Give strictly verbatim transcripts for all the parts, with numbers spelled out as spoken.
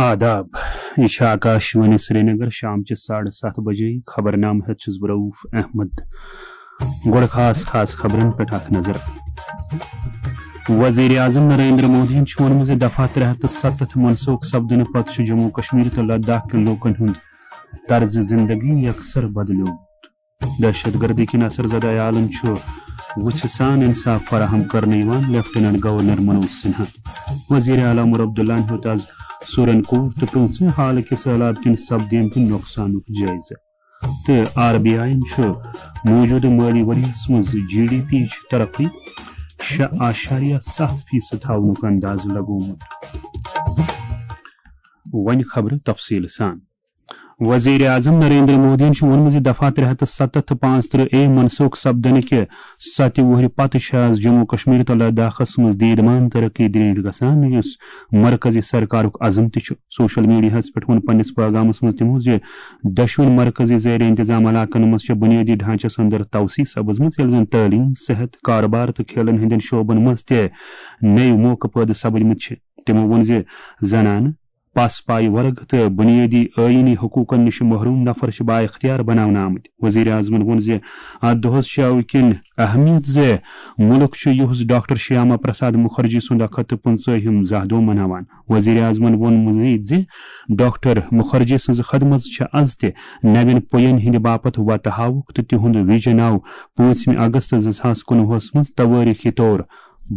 آداب، یہِ چھِ آکاش وانی سرینگر، شام چہِ ساڑٕ ستھ بجے۔ خبرنامہٕ ہٮ۪تھ چھُس بہٕ رؤف احمد۔ گۄڈٕ خاص خاص خبرن پٮ۪ٹھ اکھ نظر۔ وزیر اعظم نریندر مودیَن چھُ ووٚنمُت زِ دفعہ ترٛےٚ ہتھ تہٕ ستتھ منسوخ سپدنہٕ پتہٕ چھُ جموں کشمیر تہٕ لداخ کٮ۪ن لوٗکن ہُنٛد طرز زندگی یکسر بدلیومُت۔ دہشت گردی کِنۍ اثر زدہ عیالن چھُ وُژھِ سان انصاف فراہم کرنہٕ یِوان، لیفٹیننٹ گورنر منوج سنہا۔ وزیر اعلیٰ عمر عبداللہ ہن ہیوٚت از سورن کوٹ تہٕ پرٛوژمہِ حالہٕ کہِ سٔہلاب کِنۍ سپدیمتہِ نۄقصانُک جٲیزٕ۔ تہٕ آر بی آئی یَن چھُ موٗجوٗدٕ مٲلی ؤریَس منٛز جی ڈی پی چہِ ترقی شےٚ اعشاریہ ستھ فیصد تھاونُک اندازٕ لگومُت۔ وۄنۍ خبرٕ تفصیٖل سان۔ وزیر اعظم نریندر مودیَن چھُ ووٚنمُت زِ دفعہ ترٛےٚ ہتھ تہٕ ستتھ تہٕ پانٛژترٕہ اے منسوخ سپدنہٕ کہِ ستہِ وُہرِ پتہٕ چھِ از جموں کشمیر تہٕ لداخس منٛز دیدمان ترقی درینٹھ گژھان، یُس مرکزی سرکارُک عزم تہِ چھُ۔ سوشل میڈیاہَس پٮ۪ٹھ ووٚن پننِس پیغامَس منٛز تِمو زِ دۄشوٕنی مرکزی زیر انتظام علاقَن منٛز چھےٚ بُنیٲدی ڈھانچَس اندر توسیع سپٕزمٕژ، ییٚلہِ زَن تعلیٖم، صحت، کارٕبار تہٕ کھیلَن ہٕنٛدٮ۪ن شعبَن منٛز تہِ نٔوۍ موقعہٕ پٲدٕ سپٕدمٕتۍ چھِ۔ تِمو ووٚن زِ زنانہٕ، پس پایہِ ورگ تہٕ بُنیٲدی آئینی حقوقَن نِش محروم نفر چھِ بااختیار بناونہٕ آمٕتۍ۔ وزیر اعظمَن ووٚن زِ اَتھ دۄہَس چھِ اَوٕ کِنۍ اہمیت زِ مُلک چھُ یُہُس ڈاکٹر شیاما پرساد مُکھرجی سُنٛد اکھ ہتھ تہٕ پٕنٛژٕہِم زاہ دۄہ مناوان۔ وزیر اعظمَن ووٚن مزید زِ ڈاکٹر مُکھرجی سٕنٛز خدمت چھِ از تہِ نوٮ۪ن پُین ہٕنٛدِ باپتھ وتہٕ ہاوُک تہٕ تِہُنٛد ویژن آو پانٛژمہِ اگست زٕ ساس کُنوُہس منٛز توٲریٖخی طور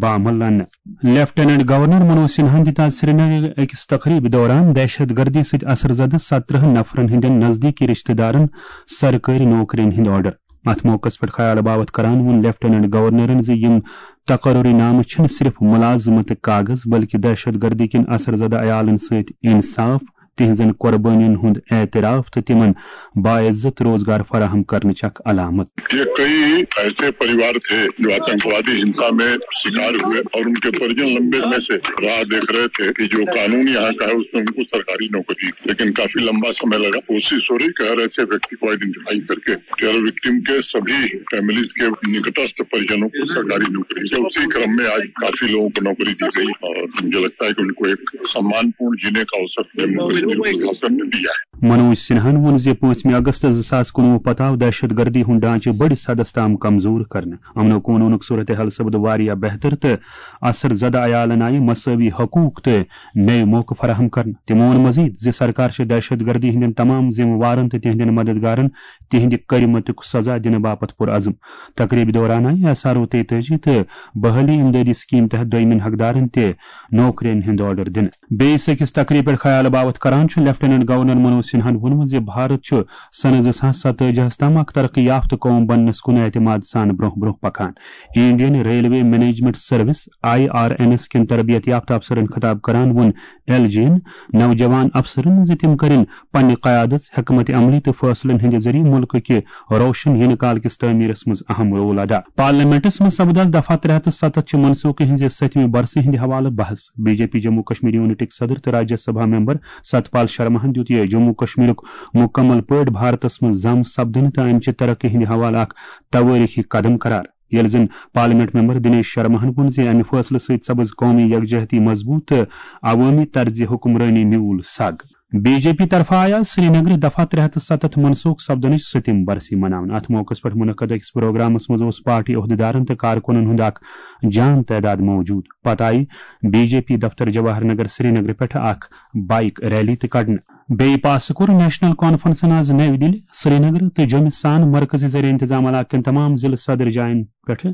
بعمل لنہٕ۔ لیفٹیننٹ گورنر منوج سنہاہن دِتۍ از سرینگر أکِس تقریبہِ دوران دہشت گردی سۭتۍ اثر زدٕ ستترٕہن نفرن ہٕنٛدٮ۪ن نزدیٖکی رشتہٕ دارن سرکٲرۍ نوکرین ہٕنٛدۍ آرڈر۔ اتھ موقعس پٮ۪ٹھ خیال باوتھ کران ووٚن لیفٹیننٹ گورنرن زِ یِم تقرری نامہٕ چھِنہٕ صرف ملازمتٕکۍ کاغذ، بلکہِ دہشت گردی کِنۍ اثر زدٕ عیالن سۭتۍ انصاف، تِہنٛزن قربٲنین ہُنٛد اعتراف تہٕ تِمن باعزت روزگار فراہم کرنٕچ اکھ علامت۔ یہ کئی ایسے پریوار تھے جو آتنکوادی ہنسا میں شکار ہوئے اور ان کے پریجن لمبے سمے سے راہ دیکھ رہے تھے کہ جو قانون یہاں کا ہے اس میں ان کو سرکاری نوکری دی، لیکن کافی لمبا سمے لگا۔ کوشش ہو رہی کہ ہر ایسے ویکتی کو آئیڈینٹیفائی کر کے ٹیرر وکٹم کے سبھی فیملیز کے نکٹستھ پریجنوں کو سرکاری نوکری دی۔ اسی کرم میں آج کافی لوگوں کو نوکری دی گئی اور مجھے لگتا ہے کہ ان کو ایک سمان پورن جینے کا اوسر جموں کشمیر پرشاسن نے دیا ہے۔ منوج سنہاہن ووٚن زِ پانٛژمہِ اگست زٕ ساس کُنوُہ پتہٕ آو دہشت گردی ہُنٛد ڈھانچہٕ بٔڑِس حدس تام کمزور کرنہٕ۔ امن و قونوٗنُک صورتحال سپُد واریاہ بہتر تہٕ اثر زدٕ عیالن آیہِ مساوی حقوق تہٕ نٔوۍ موقعہٕ فراہم کرنہٕ۔ تِمو ووٚن مزید زِ سرکار چھِ دہشت گردی ہٕنٛدٮ۪ن تمام ذمہٕ وارن تہٕ تِہنٛدٮ۪ن مددگارن تِہنٛدِ کٔرمٕتیُک سزا دِنہٕ باپتھ پُرعزم۔ تقریبہِ دوران آیہِ ایس آر او تیتٲجی تہٕ بحالی امدادی سکیم تحت دوٚیمٮ۪ن حقدارن تہِ نوکرین ہٕنٛدۍ آرڈر دِنہٕ۔ بیٚیِس أکِس تقریبہِ پٮ۪ٹھ خیال باوتھ کران چھُ لیفٹیننٹ گورنر منوج سنہاہن ووٚنمُت زِ بھارت چھُ سنہٕ زٕ ساس ستٲجی ہس تام اکھ ترقی یافتہٕ قوم بننس کُن اعتماد سان برونٛہہ برونٛہہ پکان۔ Indian railway management service, I R N S کٮ۪ن تربیت یافتہٕ افسرن خطاب کران ووٚن ایل جی ین نوجوان افسرن زِ تِم کرن پننہِ قیادت، حکمت عملی تہٕ فٲصلن ہٕنٛدِ ذٔریعہٕ مُلکہٕ کہِ روشن یِنہٕ کال کِس تعمیرس منٛز اہم رول ادا۔ پارلیمنٹس منٛز سپُد از دفعہ ترٛےٚ ہتھ تہٕ ستتھ چہِ منسوخی ہٕنٛزِ ستمہِ برسہِ ہٕنٛدِ حوالہٕ بحث۔ B J P Jammu Kashmir یونٹٕکۍ صدر تہٕ راجیہ سبھا ممبر ستپال شرماہن دیُت یہِ جموں کشمیرُک مکمل پٲٹھۍ بھارتس منٛز ضم سپدنہٕ تہٕ امہِ چہِ ترقی ہٕنٛدِ حوالہٕ اکھ توٲریخی قدم قرار، ییٚلہِ زن پارلیمنٹ ممبر دنیش شرماہن ووٚن زِ امہِ فٲصلہٕ سۭتۍ سپٕز قومی یکجہتی مضبوط تہٕ عوٲمی طرزِ حکمرٲنی میوٗل سگ۔ بی جے پی طرفہٕ آیہِ آز سرینگرٕ دفعہ ترٛےٚ ہتھ تہٕ ستتھ منسوخ سپدنٕچ ستم برسی مناونہٕ۔ اتھ موقعس پٮ۪ٹھ منعقد أکِس پروگرامس منٛز اوس پارٹی عہدیدارن تہٕ کارکنن ہُنٛد اکھ جان تعداد موجود۔ پتہٕ آیہِ بی جے پی دفتر جواہر نگر سرینگرٕ پٮ۪ٹھ اکھ بائیک ریلی تہِ کڑنہٕ۔ بیٚیہِ پاسہٕ کوٚر نیشنل کانفرنسن آز نَوِ دِلہِ، سرینگرٕ تہٕ جوٚمہِ سان مرکزی زیر انتظام علاقہٕ کٮ۪ن تمام ضلعہٕ صدر جاین پٮ۪ٹھ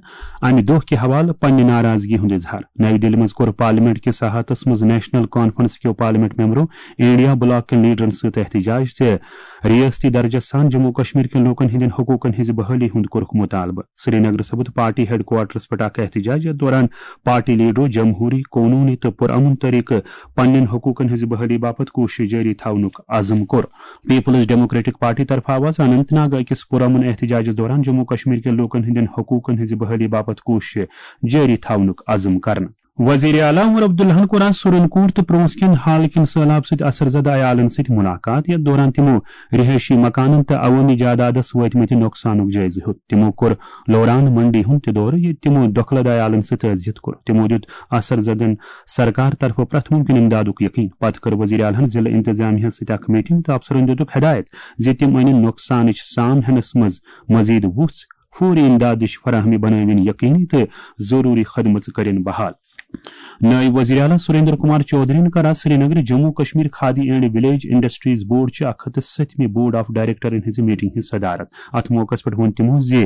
امہِ دۄہ کہِ حوالہٕ پننہِ ناراضگی ہُنٛد اظہار۔ نَوِ دِلہِ منٛز کوٚر پارلیمنٹ کِس احاطس منٛز نیشنل کانفرنس کیو پارلیمنٹ ممبرو انڈیا بلاک کٮ۪ن لیڈرن سۭتۍ احتجاج تہٕ ریاستی درجس سان جموں کشمیر کٮ۪ن لوٗکن ہٕنٛدٮ۪ن حقوٗقن ہٕنٛزِ بحٲلی ہُنٛد کوٚرُکھ مطالبہٕ۔ سرینگرٕ سپُد پارٹی ہیڈ کوارٹرس پٮ۪ٹھ اکھ احتجاج، یتھ دوران پارٹی لیڈرو جمہوری، قونوٗنی تہٕ پُرامن طریقہٕ پننٮ۪ن حقوٗقن ہٕنٛزِ بحٲلی باپتھ کوٗشش جٲری تھاونُک عزم کوٚر۔ پیپلز ڈیموکریٹک پارٹی طرفہٕ آو آز اننت ناگ أکِس پُرامن احتجاجس دوران جموں کشمیر کٮ۪ن لوٗکن ہٕنٛدٮ۪ن حقوٗقن ہٕنٛزِ بحٲلی باپتھ کوٗشش جٲری تھاونُک عزم کرنہٕ۔ وزیر اعلیٰ عمر عبداللہن کوٚر آز سُرنکوٹ تہٕ پرونس کٮ۪ن حالہٕ کٮ۪ن سٔہلاب سۭتۍ اثر زدٕ عیالن سۭتۍ مُلاقات۔ یَتھ دوران تِمو رہٲیشی مکانن تہٕ عوٲمی جادادس وٲتمٕتہِ نۄقصانُک جٲیزٕ ہیوٚت۔ تِمو کوٚر لوران منڈی ہُنٛد تہِ دورٕ، ییٚتہِ تِمو دۄکھلہٕ عیالن سۭتۍ تعزیت کوٚر۔ تِمو دیُت اثر زدن سرکار طرفہٕ پرٛٮ۪تھ مُمکِن امدادُک یقین۔ پتہٕ کٔر وزیر اعلیٰ ہن ضلعہٕ انتظامیہ ہس سۭتۍ اکھ میٹنگ تہٕ افسرن دِتُکھ ہدایت زِ تِم انن نۄقصانٕچ سام ہینس منٛز مزید وُژھ، فوری امدادٕچ فراہمی بنٲوِن یقینی تہٕ ضروری خدمژٕ کٔرِن بحال۔ نٲیِب وزیر اعلیٰ سریندر کمار چودھرین کٔر آز سرینگرٕ Jammu Kashmir khadi and village industries board چہِ اکھ ہتھ تہٕ ستمہِ بورڈ آف ڈائریکٹرن ہٕنٛزِ میٹنگ ہٕنٛز صدارت۔ اتھ موقعس پٮ۪ٹھ ووٚن تِمو زِ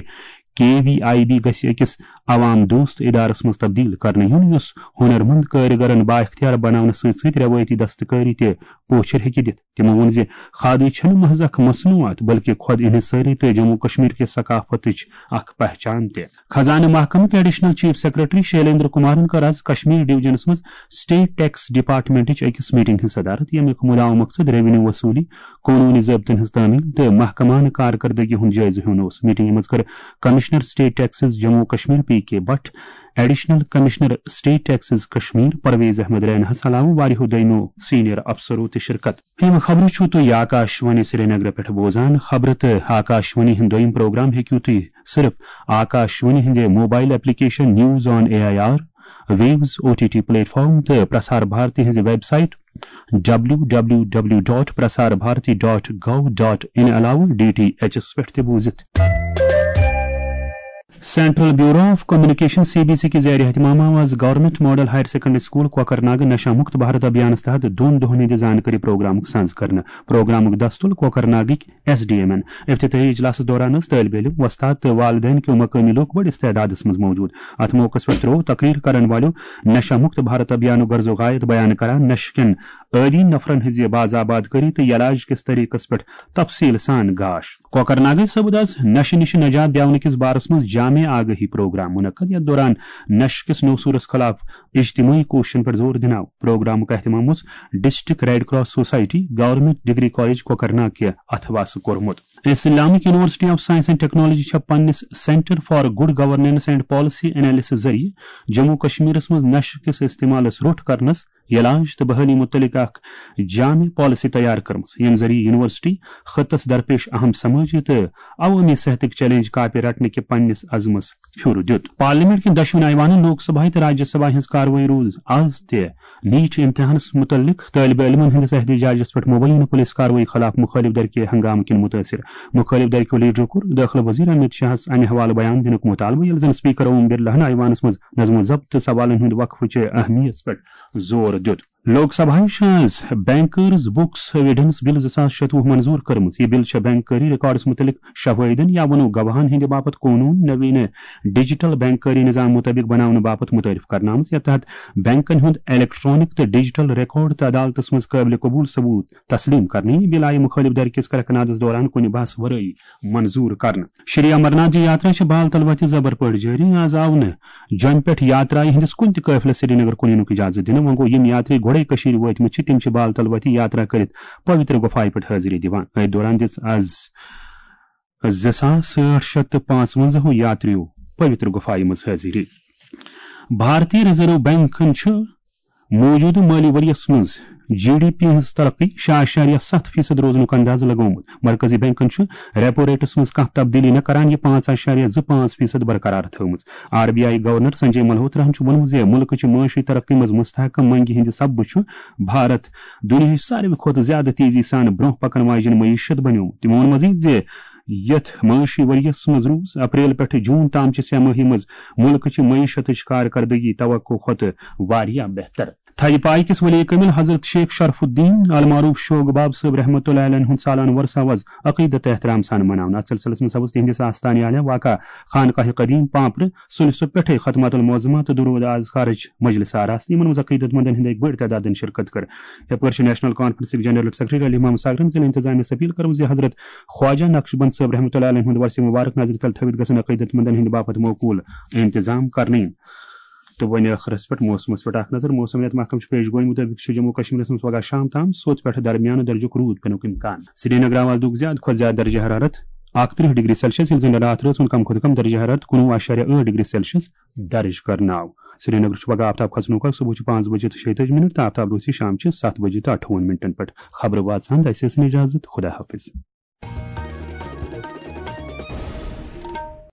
کے وی آئی بی گژھِ أکِس عوام دوست ادارس منٛز تبدیل کرنہٕ یُن، یُس ہُنر مند کٲرِگرن بااختیار بناونس سۭتۍ سۭتۍ روایتی دستکٲری تہِ پوچھر ہیٚکہِ دِتھ۔ تِمو ووٚن زِ کھادی چھنہٕ محض اکھ مصنوعات، بلکہِ خۄد انحصٲری تہٕ جموں کشمیر کہِ ثقافتٕچ اکھ پہچان تہِ۔ خزانہٕ محکمٕکۍ ایڈیشنل چیف سیکرٹری شیلیندر کمارن کٔر آز کشمیر ڈویژنس منٛز اسٹیٹ ٹیکس ڈپارٹمنٹٕچ أکِس میٹنگ ہٕنٛز صدارت، ییٚمیُک مُدعا مقصد ریونیو وصوٗلی، قونوٗنی ضٲبطن ہٕنٛز تعمیل تہٕ محکمانہٕ کارکردگی ہُنٛد جٲیزٕ ہیوٚن اوس۔ میٹنگہِ منٛز کٔر commissioner state taxes Jammu Kashmir P K Bhat, additional commissioner state taxes Kashmir Parvez Ahmad ریناہس علاوٕ واریاہو دوٚیمو سینئر افسرو تہِ شرکت۔ یِم خبرٕ چھِو تُہۍ آکاش وانی سرینگر پٮ۪ٹھ بوزان۔ خبرٕ تہٕ آکاش وانی ہُنٛد دوٚیِم پروگرام ہیٚکِو تُہۍ صرف آکاش وانی ہٕنٛدِ mobile application news on A I R, waves O T T platform تہٕ پرسار بھارتی ہٕنٛزِ website W W W dot Prasar Bharati dot gov dot in علاوٕ ڈی ٹی ایچ ایس پٮ۪ٹھ تہِ بوٗزِتھ۔ Central bureau of communication, C B C, کہِ زیر اہتمام آو آز government model higher secondary school Kokernag نشہ مکت بھارت ابھیانس تحت دۄن دۄہن ہٕنٛدِ زانکٲری پروگرامُک سانز کرنہٕ۔ پروگرامُک دستُل کوکرناگٕکۍ ایس ڈی ایم این۔ افتتاحی اجلاسس دوران ٲسۍ طٲلب علم، وۄستاد تہٕ والدین کیو مقٲمی لوٗکھ بٔڑِس تعدادس منٛز موجود۔ اتھ موقعس پٮ۪ٹھ تروو تقریر کرن والیو نشہ مکت بھارت ابھیانُک غرض و غایت بیان کران نشہٕ کٮ۪ن عٲدی نفرن ہٕنٛزِ باضاباد کٲری تہٕ علاج کِس طریقس پٮ۪ٹھ تفصیل سان گاش۔ کوکرناگٕکۍ صٲبُد آز نشہٕ نِش نجات دیاونہٕ کِس بارس منٛز جامع آگاہی پروگرام منعقد، یتھ دوران نشہٕ کِس نوسورس خلاف اجتماعی کوششن پٮ۪ٹھ زور دِنہٕ آو۔ پروگرامُک اہتمام اوس district red cross society, government degree college Kokernag کہِ اتھواسہٕ کوٚرمُت۔ Islamic University of Science and Technology چھےٚ پننِس centre for good governance and policy analysis ذٔریعہٕ جموں کشمیرس منٛز نشہٕ کِس استعمالس روٚٹ کرنس، علاج تہٕ بحالی متعلق اکھ جامع پالیسی تیار کٔرمٕژ، ییٚمہِ ذٔریعہٕ یونیورسٹی خطس درپیش اہم سمٲجی تہٕ عوٲمی صحتٕکۍ چیلنج کاپہِ رٹنہٕ کہِ پننِس عزمس پھیُر دیُت۔ پارلیمنٹ کٮ۪ن دۄشوٕنی ایوانن لوک سبھایہ تہٕ راجیہ سبھایہ ہٕنٛز کاروٲیی روٗز آز تہِ نیٹ امتحانس متعلق طٲلب علمن ہٕنٛدِس احتجاجس پٮ۪ٹھ مبینہ پولیس کاروٲیی خلاف مخٲلف دھرکہِ ہنگامہٕ کِنۍ متٲثر۔ مخٲلف دھرکیو لیڈرو کوٚر دٲخلہٕ وزیر امیت شاہس امہِ حوالہٕ بیان دِنُک مطالبہٕ، ییٚلہِ زن اسپیکر اوم برلاہن ایوانس منٛز نظم و ضبط تہٕ سوالن ہُنٛد وقفہٕ چہِ اہمیت پٮ۪ٹھ زور دیُت۔ لوک سبھایہ چھِ آز بینکرز بکس ایویڈنس بل زٕ ساس شتوُہ منظور کٔرمٕژ۔ یہِ بل چھےٚ بینکٲری ریکارڈس متعلق شواہدن یا ونو گواہن ہٕنٛدِ باپتھ قونوٗن نویٖنہٕ ڈیجیٹل بینکٲری نظام مطٲبق بناونہٕ باپتھ متعارف کرنہٕ آمٕژ، یتھ تحت بینکن ہُنٛد الیکٹرانک تہٕ ڈیجیٹل ریکارڈ تہٕ عدالتس منٛز قٲبلِ قبول ثبوت تسلیم کرنہٕ۔ یہِ بل آیہِ مخٲلف دھرکِس کرکنادس دوران کُنہِ بحث ورٲیی منظور کرنہٕ۔ شری امرناتھ جی یاترا چھِ بال تل وتہِ زبر پٲٹھۍ جٲری۔ آز آو نہٕ جوٚمہِ پٮ۪ٹھ یاترایہِ ہٕنٛدِس کُنہِ تہِ قٲفلس سرینگر کُن یِنُک اجازت دِنہٕ۔ وۄنۍ گوٚو، یِم یاتری گۄڈے کٔشیٖرِ وٲتمٕتۍ چھِ، تِم چھِ بال تل وتہِ یاترا کٔرِتھ پویتر گُفایہِ پٮ۪ٹھ حٲضری دِوان۔ أتھۍ دوران دِژ آز زٕ ساس ٲٹھ شیٚتھ تہٕ پانٛژوَنزاہو یاتریو پویتر گُفایہِ منٛز حٲضری۔ بھارتی ریزرو بینکن چھُ موجودٕ مٲلی ؤرۍ یَس منٛز جی ڈی پی ہٕنٛز ترقی شےٚ اعشاریہ ستھ فیصد روزنُک اندازٕ لگومُت۔ مرکزی بینکن چھُ ریپو ریٹس منٛز کانٛہہ تبدیلی نہٕ کران یہِ پانٛژھ اعشاریہ زٕ پانٛژھ فیصد برقرار تھٲومٕژ۔ R B I governor Sanjay ملہوتراہن چھُ ووٚنمُت زِ مُلکہٕ چہِ معاشی ترقی منٛز مستحکم منگہِ ہٕنٛدِ سببہٕ چھُ بھارت دُنیاہٕچ ساروی کھۄتہٕ زیادٕ تیزی سان برونٛہہ پکن واجٮ۪ن معیشت بنیومُت۔ تٔمۍ ووٚن مزید زِ یتھ معاشی ؤرۍ یَس منٛز روٗز اپریل پٮ۪ٹھٕ جوٗن تام چہِ سہ مٲہی منٛز مُلکہٕ چہِ معیشتٕچ کارکردگی توقع کھۄتہٕ واریاہ بہتر۔ تھدِ پایہِ کِس ولی کٲمِل حضرت شیخ شرف الدین المعروف شوگ باب صٲب رحمتہ اللہ علیہ ہُنٛد سالانہٕ وۄرثہٕ آو از عقیدت تہٕ احترام سان مناونہٕ۔ اتھ سلسلس منٛز سپُز تِہنٛدِس آستانہِ عالیہ واقع خانقاہ قدیم پامپرٕ سُلہِ سُہ پٮ۪ٹھے ختمات المعظمہ تہٕ درود اذکارٕچ مجلس آراستہٕ، یِمن منٛز عقیدت مندن ہٕنٛدۍ اکہِ بٔڑۍ تعدادن شرکت کٔر۔ یپٲرۍ چھُ نیشنل کانفرنسٕکۍ جنرل سیکرٹری علی محمد ساگرن ضلع انتظامیہ اپیل کٔرمٕژ زِ حضرت خواجہ نقشبند صٲب رحمتہ اللہ علیہ ہُنٛد ورثہٕ مبارک نظرِ تل تھٲوِتھ گژھن عقیدت مندن ہٕنٛدِ باپتھ معقول انتظام کرنہٕ یِنۍ۔ تہٕ وۄنۍ ٲخرس پٮ۪ٹھ موسمس پٮ۪ٹھ اکھ نظر۔ موسمیات محکمہٕ چھُ پیش گویی مُطٲبِق چھُ جموں کشمیرس منٛز پگاہ شام تام سوٚت پٮ۪ٹھٕ درمیانہٕ درجُک روٗد پینُک امکان۔ سرینگر آو آز دۄہُک زیادٕ کھۄتہٕ زیادٕ درجہ حرارت اکترٕہ ڈگری سیلسیس، ییٚلہِ زن راتھ رٲژ ہُنٛد کم کھۄتہٕ کم درجہ حرارت کُنوُہ اعشاریہ ٲٹھ ڈگری سیلسیس درج کرناو۔ سرینگرٕچ پگہہ آفتاب کھسنُک وقت صبحٕچہِ پانٛژھ بجے تہٕ شیٚیہِ تٲجی منٹ تہٕ آفتاب روزِ شامچہِ ستھ بجے تہٕ اَٹھووُہن منٹن پٮ۪ٹھ۔ خبرٕ واژہن تہٕ اَسہِ ٲسِن اجازت۔ خدا حافظ۔